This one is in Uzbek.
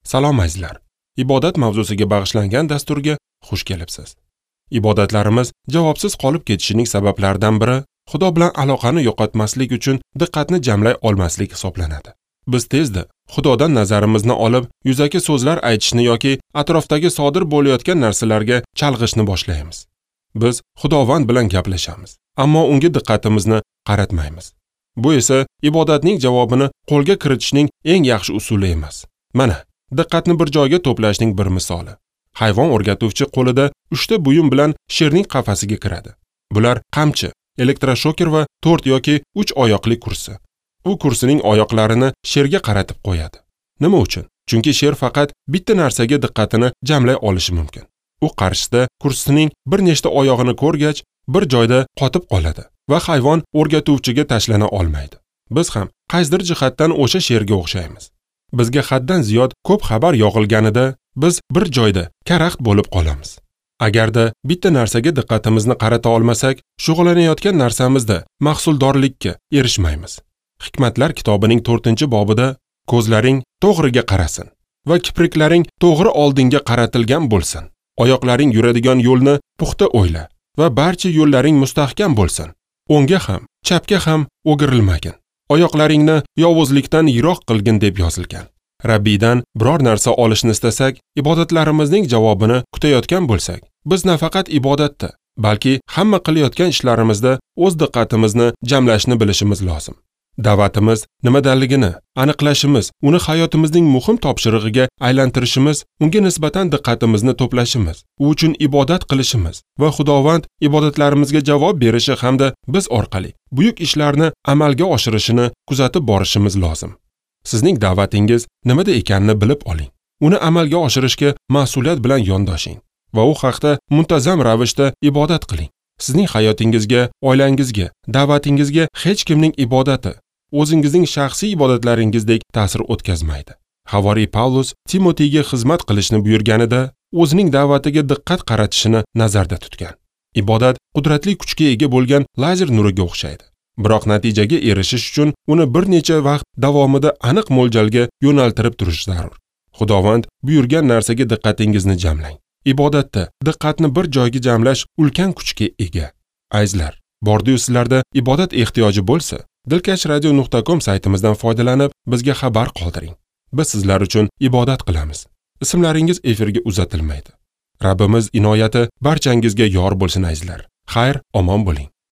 Salom azizlar. Ibodat mavzusiga bag'ishlangan dasturga xush kelibsiz. Ibodatlarimiz javobsiz qolib ketishining sabablaridan biri Xudo bilan aloqani yo'qotmaslik uchun diqqatni jamlay olmaslik hisoblanadi. Biz tezda Xudodan nazarimizni olib, yuzaki so'zlar aytishni yoki atrofdagi sodir bo'layotgan narsalarga chalg'ishni boshlaymiz. Biz Xudovand bilan gaplashamiz, ammo unga diqqatimizni qaratmaymiz. Bu esa ibodatning javobini qo'lga kiritishning eng yaxshi usuli emas. Mana, diqqatni bir joyga to'plashning bir misoli. Hayvon o'rgatuvchi qo'lida 3 ta buyum bilan sherning qafasiga kiradi. Bular qamchi, elektroshoker va 4 yoki 3 oyoqli kursi. U kursining oyoqlarini sherga qaratib qo'yadi. Nima uchun? Chunki sher faqat bitta narsaga diqqatini jamlay olishi mumkin. U qarshisida kursining bir nechta oyog'ini ko'rgach, bir joyda qotib qoladi va hayvon o'rgatuvchiga tashlana olmaydi. Biz ham qaysidir jihatdan o'sha sherga o'xshaymiz. Bizga haddan ziyod ko'p xabar yog'ilganida biz bir joyda karaxt bo'lib qolamiz. Agarda bitta narsaga diqqatimizni qarata olmasak, shug'ullanayotgan narsamizda mahsuldorlikka erishmaymiz. Hikmatlar kitobining 4-bobida ko'zlaring to'g'riga qarasin va kipriklaring to'g'ri oldinga qaratilgan bo'lsin. Oyoqlaring yuradigan yo'lni puxta o'yla va barcha yo'llaring mustahkam bo'lsin. O'ngga ham, chapga ham o'girilmagin. Oyoqlaringni yovuzlikdan yiroq qilgin deb yozilgan. Rabbiydan biror narsa olishni istasak, ibodatlarimizning javobini kutayotgan bo'lsak, biz nafaqat ibodatda, balki hamma qilayotgan ishlarimizda o'z diqqatimizni jamlashni bilishimiz lozim. Da'vatimiz nimadanligini aniqlashimiz, uni hayotimizning muhim topshirig'iga aylantirishimiz, unga nisbatan diqqatimizni to'plashimiz, u uchun ibodat qilishimiz va Xudovand ibodatlarimizga javob berishi hamda biz orqali buyuk ishlarni amalga oshirishini kuzatib borishimiz lozim. Sizning da'vatingiz nimada ekanini bilib oling. Uni amalga oshirishga mas'uliyat bilan yondoshing va u haqda muntazam ravishda ibodat qiling. Sizning hayotingizga, oilangizga, da'vatingizga hech kimning ibodati o'zingizning shaxsiy ibodatlaringizdek ta'sir o'tkazmaydi. Havoriy Pavlus Timotiyga xizmat qilishni buyurganida o'zining da'vatiga diqqat qaratishini nazarda tutgan. Ibodat qudratli kuchga ega bo'lgan lazer nuriga o'xshaydi. Biroq natijaga erishish uchun uni bir necha vaqt davomida aniq mo'ljalga yo'naltirib turish zarur. Xudovand buyurgan narsaga diqqatingizni jamlang. Ibodatda diqqatni bir joyga jamlash ulkan kuchga ega. Azizlar, bordi-yu sizlarda ibodat ehtiyoji bo'lsa, dilkashradio.com saytimizdan foydalanib bizga xabar qoldiring. Biz sizlar uchun ibodat qilamiz. Ismlaringiz efirga uzatilmaydi. Rabbimiz inoyati barchangizga yor bo'lsin azizlar. Xayr, omon bo'ling.